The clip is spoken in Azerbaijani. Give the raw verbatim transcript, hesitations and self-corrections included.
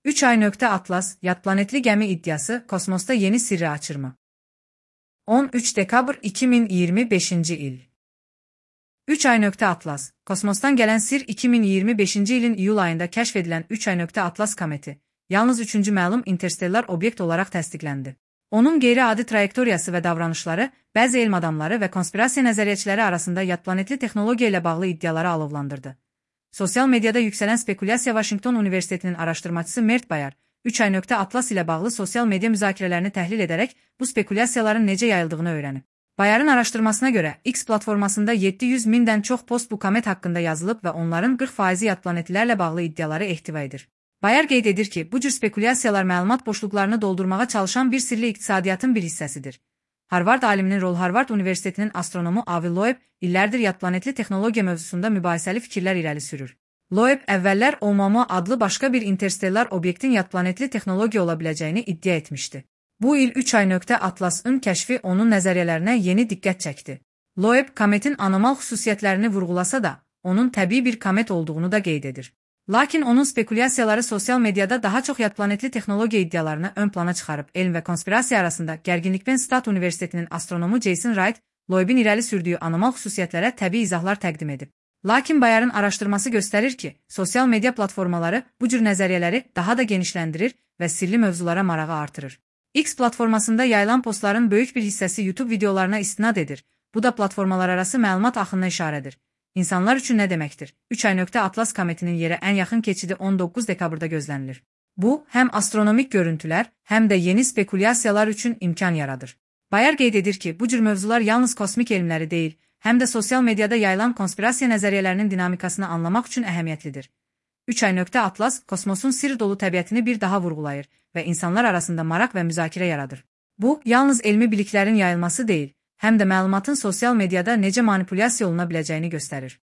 üç ay nöqtə Atlas, yadplanetli gəmi iddiası kosmosda yeni sirri açır mı? on üç dekabr iki min iyirmi beşinci il. üç ay nöqtə Atlas, kosmosdan gələn sir iki min iyirmi beşinci ilin iyul ayında kəşf edilən üç ay nöqtə Atlas kometi, yalnız üçüncü məlum interstellar obyekt olaraq təsdiqləndi. Onun qeyri-adi trayektoriyası və davranışları, bəzi elm adamları və konspirasiya nəzəriyyəçiləri arasında yadplanetli texnologiya ilə bağlı iddiaları alovlandırdı. Sosial mediada yüksələn spekulyasiya Washington Universitetinin araşdırmacısı Mert Bayar, üç ay nöqtə Atlas ilə bağlı sosial media müzakirələrini təhlil edərək bu spekulyasiyaların necə yayıldığını öyrənib. Bayarın araşdırmasına görə, X platformasında yeddi yüz mindən çox post bu komet haqqında yazılıb və onların qırx faizi yadplanetlilərlə bağlı iddiaları ehtiva edir. Bayar qeyd edir ki, bu cür spekulyasiyalar məlumat boşluqlarını doldurmağa çalışan bir sirli iqtisadiyyatın bir hissəsidir. Harvard aliminin rol Harvard Universitetinin astronomu Avi Loeb illərdir yadplanetli texnologiya mövzusunda mübahisəli fikirlər irəli sürür. Loeb əvvəllər Oumuamua adlı başqa bir interstellar obyektin yadplanetli texnologiya ola biləcəyini iddia etmişdi. Bu il üç ay nöqtə Atlas'ın kəşfi onun nəzəriyyələrinə yeni diqqət çəkdi. Loeb kometin anomal xüsusiyyətlərini vurğulasa da, onun təbii bir komet olduğunu da qeyd edir. Lakin onun spekulyasiyaları sosial mediada daha çox yadplanetli texnologiya iddialarını ön plana çıxarıb, elm və konspirasiya arasında gərginlik Penn State Universitetinin astronomu Jason Wright, Loebin irəli sürdüyü anomal xüsusiyyətlərə təbii izahlar təqdim edib. Lakin Bayarın araşdırması göstərir ki, sosial media platformaları bu cür nəzəriyyələri daha da genişləndirir və sirli mövzulara marağı artırır. X platformasında yayılan postların böyük bir hissəsi YouTube videolarına istinad edir. Bu da platformalar arası məlumat axınına işarədir. İnsanlar üçün nə deməkdir? üç ay nöqtə Atlas kometinin yerə ən yaxın keçidi on doqquz dekabrda gözlənilir. Bu, həm astronomik görüntülər, həm də yeni spekulyasiyalar üçün imkan yaradır. Bayar qeyd edir ki, bu cür mövzular yalnız kosmik elmləri deyil, həm də sosial mediada yayılan konspirasiya nəzəriyyələrinin dinamikasını anlamaq üçün əhəmiyyətlidir. üç ay nöqtə Atlas, kosmosun sirr dolu təbiətini bir daha vurğulayır və insanlar arasında maraq və müzakirə yaradır. Bu, yalnız elmi biliklərin yayılması deyil, həm də məlumatın sosial mediada necə manipulyasiya oluna biləcəyini göstərir.